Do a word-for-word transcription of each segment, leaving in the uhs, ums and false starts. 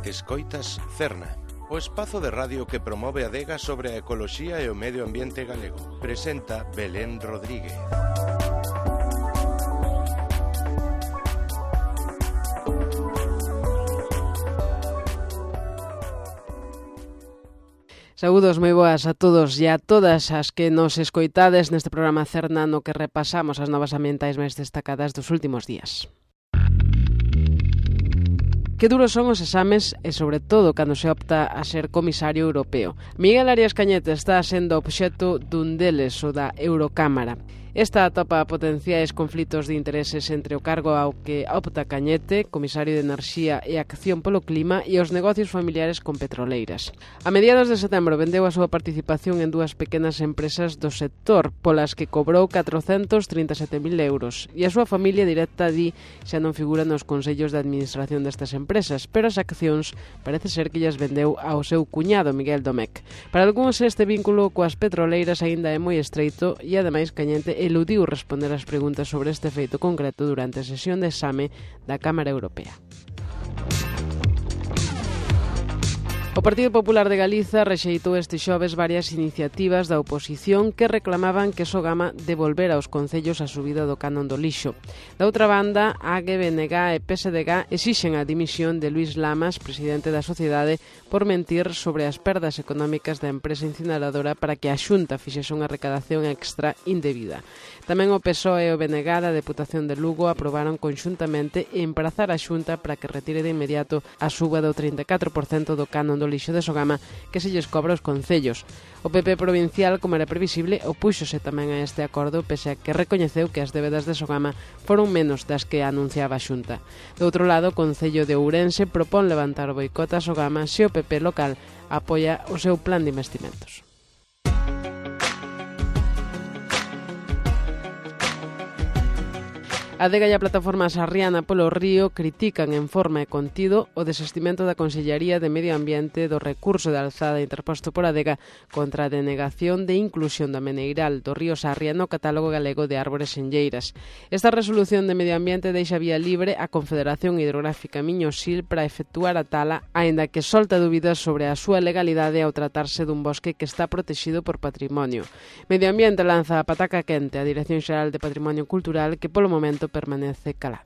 Escoitas Cerna, o espazo de radio que promove a adega sobre a ecoloxía e o medio ambiente galego. Presenta Belén Rodríguez. Saúdos moi boas a todos e a todas as que nos escoitades neste programa Cerna no que repasamos as novas ambientais máis destacadas dos últimos días. Que duros son os exames e, sobre todo, cando se opta a ser comisario europeo. Miguel Arias Cañete está sendo obxecto dun deles, o da Eurocámara. Esta atopa potenciais conflitos de intereses entre o cargo ao que opta Cañete, comisario de Enerxía e Acción polo Clima, e os negocios familiares con petroleiras. A mediados de setembro vendeu a súa participación en dúas pequenas empresas do sector, polas que cobrou catrocentos trinta e sete mil euros, e a súa familia directa di xa non figura nos consellos de administración destas empresas, pero as accións parece ser que llas vendeu ao seu cuñado Miguel Domecq. Para algúns este vínculo coas petroleiras aínda é moi estreito e, ademais, Cañete eludiu responder as preguntas sobre este feito concreto durante a sesión de exame da Cámara Europea. O Partido Popular de Galiza rexeitou este xoves varias iniciativas da oposición que reclamaban que Sogama devolvera aos concellos a subida do canon do lixo. Da outra banda, A G, B N G e P S D G exixen a dimisión de Luís Lamas, presidente da sociedade, por mentir sobre as perdas económicas da empresa incineradora para que a Xunta fixese unha recadación extra indebida. Tamén o P S O E e o B N G da Deputación de Lugo aprobaron conxuntamente emprazar a Xunta para que retire de inmediato a suba do trinta e catro por cento do canon do lixo de Sogama que se lles cobra aos concellos. O P P provincial, como era previsible, opúxose tamén a este acordo, pese a que recoñeceu que as débedas de Sogama foron menos das que anunciaba a Xunta. Do outro lado, o Concello de Ourense propón levantar o boicot a Sogama se o P P local apoia o seu plan de investimentos. A Adega e a Plataforma Sarriana polo Río critican en forma e contido o desestimento da Consellería de Medio Ambiente do recurso de alzada interposto por Adega contra a denegación de inclusión da meneiral do río Sarria no catálogo galego de árbores enlleiras. Esta resolución de Medio Ambiente deixa vía libre a Confederación Hidrográfica Miño-Sil para efectuar a tala, aínda que solta dúbidas sobre a súa legalidade ao tratarse dun bosque que está protexido por patrimonio. Medio Ambiente lanza a pataca quente á Dirección Xeral de Patrimonio Cultural, que polo momento permanece calada.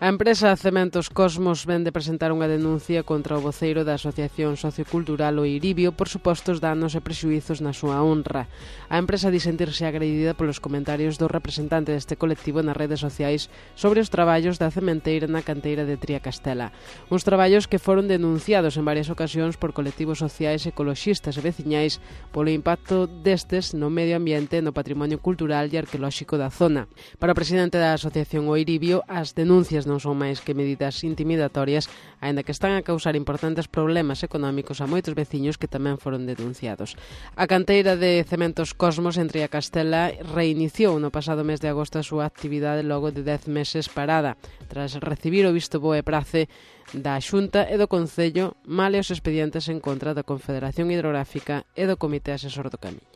A empresa Cementos Cosmos vén de presentar unha denuncia contra o voceiro da Asociación Sociocultural O Iribio por supostos danos e prexuízos na súa honra. A empresa di sentirse agredida polos comentarios do representante deste colectivo nas redes sociais sobre os traballos da cementeira na canteira de Triacastela. Uns traballos que foron denunciados en varias ocasións por colectivos sociais, ecoloxistas e veciñais polo impacto destes no medio ambiente, no patrimonio cultural e arqueolóxico da zona. Para o presidente da Asociación O Iribio, as denuncias non non son máis que medidas intimidatorias, aínda que están a causar importantes problemas económicos a moitos veciños que tamén foron denunciados. A canteira de Cementos Cosmos en Triacastela reiniciou no pasado mes de agosto a súa actividade logo de dez meses parada, tras recibir o visto bo e prace da Xunta e do Concello, male os expedientes en contra da Confederación Hidrográfica e do Comité Asesor do Camiño.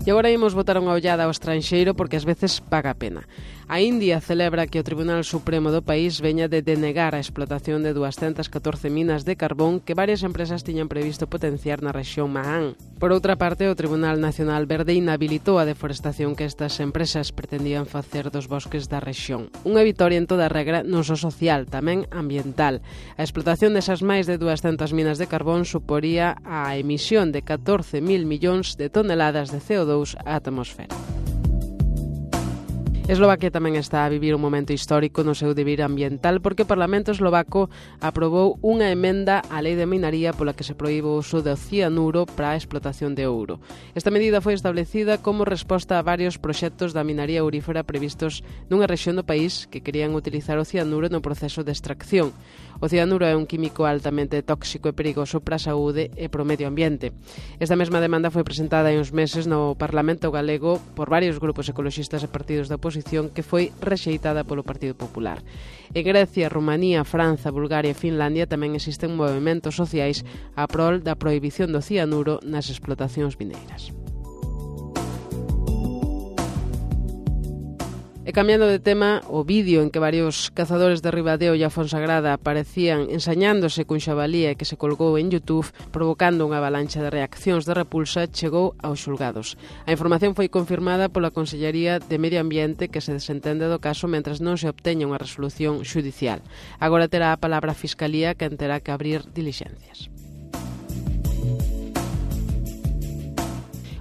E agora imos botar unha ollada ao estranxeiro porque ás veces paga a pena. A India celebra que o Tribunal Supremo do país veña de denegar a explotación de duascentas catorce minas de carbón que varias empresas tiñan previsto potenciar na rexión Mahan. Por outra parte, o Tribunal Nacional Verde inhabilitou a deforestación que estas empresas pretendían facer dos bosques da rexión. Unha vitoria en toda regra non só social, tamén ambiental. A explotación desas máis de duascentas minas de carbón suporía a emisión de catorce mil millóns de toneladas de C O dos á atmosfera. Eslovaquia tamén está a vivir un momento histórico no seu deber ambiental porque o Parlamento eslovaco aprobou unha emenda á lei de minaría pola que se proíbe o uso do cianuro para a explotación de ouro. Esta medida foi establecida como resposta a varios proxectos da minaría aurífera previstos nunha rexión do país que querían utilizar o cianuro no proceso de extracción. O cianuro é un químico altamente tóxico e perigoso para a saúde e para o medio ambiente. Esta mesma demanda foi presentada hai uns meses no Parlamento galego por varios grupos ecoloxistas e partidos da oposición que foi rexeitada polo Partido Popular. En Grecia, Rumanía, Franza, Bulgaria e Finlandia tamén existen movementos sociais a prol da prohibición do cianuro nas explotacións mineiras. E cambiando de tema, o vídeo en que varios cazadores de Ribadeo e a Fonsagrada aparecían ensañándose cun xabalí que se colgou en YouTube, provocando unha avalancha de reaccións de repulsa, chegou aos xulgados. A información foi confirmada pola Consellería de Medio Ambiente, que se desentende do caso mentres non se obteña unha resolución xudicial. Agora terá a palabra a Fiscalía, que terá que abrir dilixencias.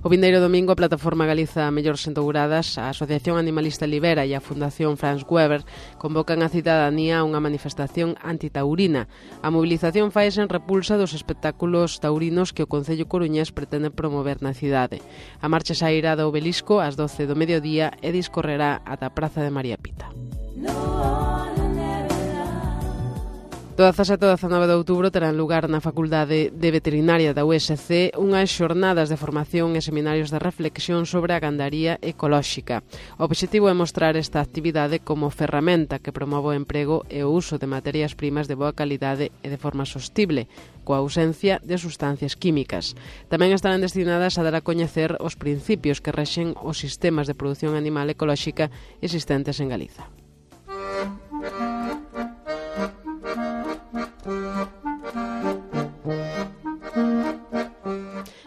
O vindeiro domingo, a Plataforma Galiza Mellores Entouradas, a Asociación Animalista Libera e a Fundación Franz Weber convocan a cidadanía a unha manifestación antitaurina. A mobilización faise en repulsa dos espectáculos taurinos que o Concello coruñés pretende promover na cidade. A marcha sairá do Obelisco ás doce do mediodía e discorrerá ata a Praza de María Pita. Do dezasete ao dezanove de outubro terán lugar na Facultade de Veterinaria da U S C unhas xornadas de formación e seminarios de reflexión sobre a gandaría ecolóxica. O obxectivo é mostrar esta actividade como ferramenta que promove o emprego e o uso de materias primas de boa calidade e de forma sostible, coa ausencia de sustancias químicas. Tamén estarán destinadas a dar a coñecer os principios que rexen os sistemas de produción animal ecolóxica existentes en Galiza.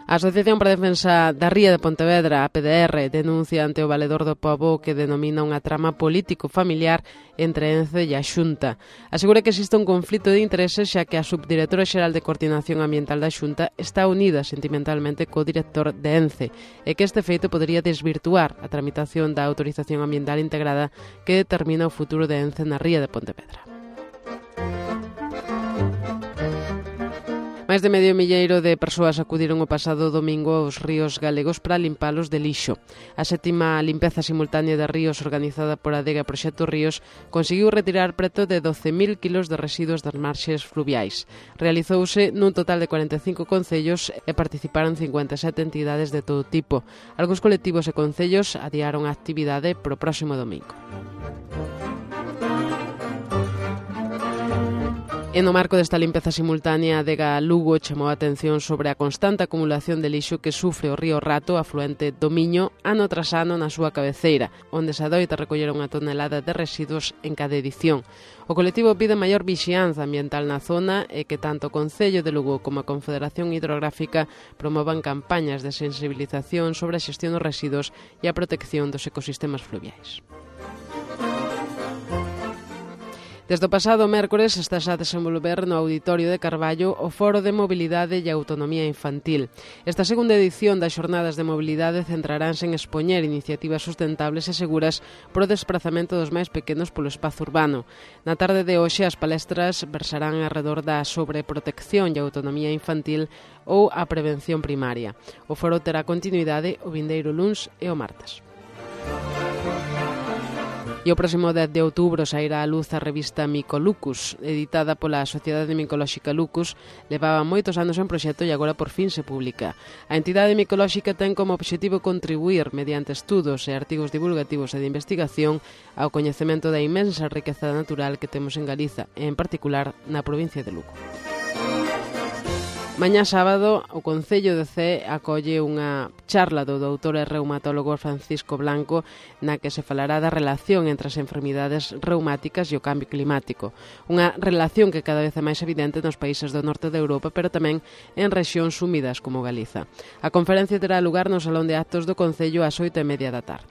A Asociación para a Defensa da Ría de Pontevedra, a P D R, denuncia ante o Valedor do Pobo que denomina unha trama político-familiar entre Ence e a Xunta. Asegura que existe un conflito de intereses xa que a Subdirectora Xeral de Coordinación Ambiental da Xunta está unida sentimentalmente co director de Ence e que este feito podería desvirtuar a tramitación da autorización ambiental integrada que determina o futuro de Ence na Ría de Pontevedra. Máis de medio milleiro de persoas acudiron o pasado domingo aos ríos galegos para limpalos de lixo. A sétima limpeza simultánea de ríos organizada por a Adega Proxecto Ríos conseguiu retirar preto de doce mil kilos de residuos das marxes fluviais. Realizouse nun total de cuarenta e cinco concellos e participaron cincuenta e sete entidades de todo tipo. Algúns colectivos e concellos adiaron a actividade pro próximo domingo. E no marco desta limpeza simultánea, a Adega Lugo chamou a atención sobre a constante acumulación de lixo que sufre o río Rato, afluente do Miño, ano tras ano na súa cabeceira, onde se adoita recoller unha tonelada de residuos en cada edición. O colectivo pide maior vixianza ambiental na zona e que tanto o Concello de Lugo como a Confederación Hidrográfica promovan campañas de sensibilización sobre a xestión dos residuos e a protección dos ecosistemas fluviais. Desde o pasado mércores estás a desenvolver no Auditorio de Carballo o Foro de Mobilidade e Autonomía Infantil. Esta segunda edición das Xornadas de Mobilidade centraránse en expoñer iniciativas sustentables e seguras para o desprazamento dos máis pequenos polo espazo urbano. Na tarde de hoxe as palestras versarán arredor da sobreprotección e autonomía infantil ou a prevención primaria. O foro terá continuidade o vindeiro luns e o martes. E o próximo dez de outubro sairá a luz a revista Micolucus, editada pola Sociedade Micolóxica Lucus. Levaba moitos anos en proxecto e agora por fin se publica. A entidade micolóxica ten como obxectivo contribuir, mediante estudos e artigos divulgativos e de investigación, ao coñecemento da inmensa riqueza natural que temos en Galiza, e en particular na provincia de Lugo. Mañá sábado, o Concello de Cee acolle unha charla do doutor e reumatólogo Francisco Blanco na que se falará da relación entre as enfermidades reumáticas e o cambio climático. Unha relación que cada vez é máis evidente nos países do norte de Europa, pero tamén en rexións húmidas como Galiza. A conferencia terá lugar no Salón de Actos do Concello ás oito e media da tarde.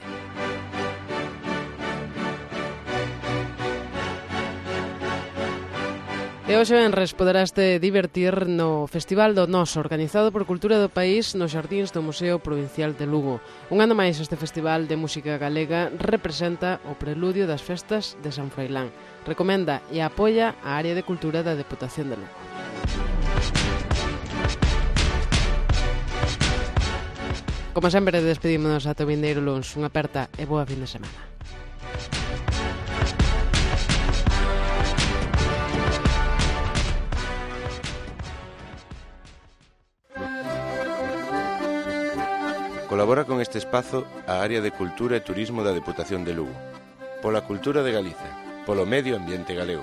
E hoxe venres poderaste divertir no Festival do Noso, organizado por Cultura do País nos xardíns do Museo Provincial de Lugo. Un ano máis este festival de música galega representa o preludio das festas de San Froilán. Recomenda e apoia a área de cultura da Deputación de Lugo. Como sempre, despedímonos ata o vindeiro luns. Unha aperta e boa fin de semana. Colabora con este espazo a área de Cultura e Turismo da Deputación de Lugo. Pola cultura de Galiza, polo medio ambiente galego.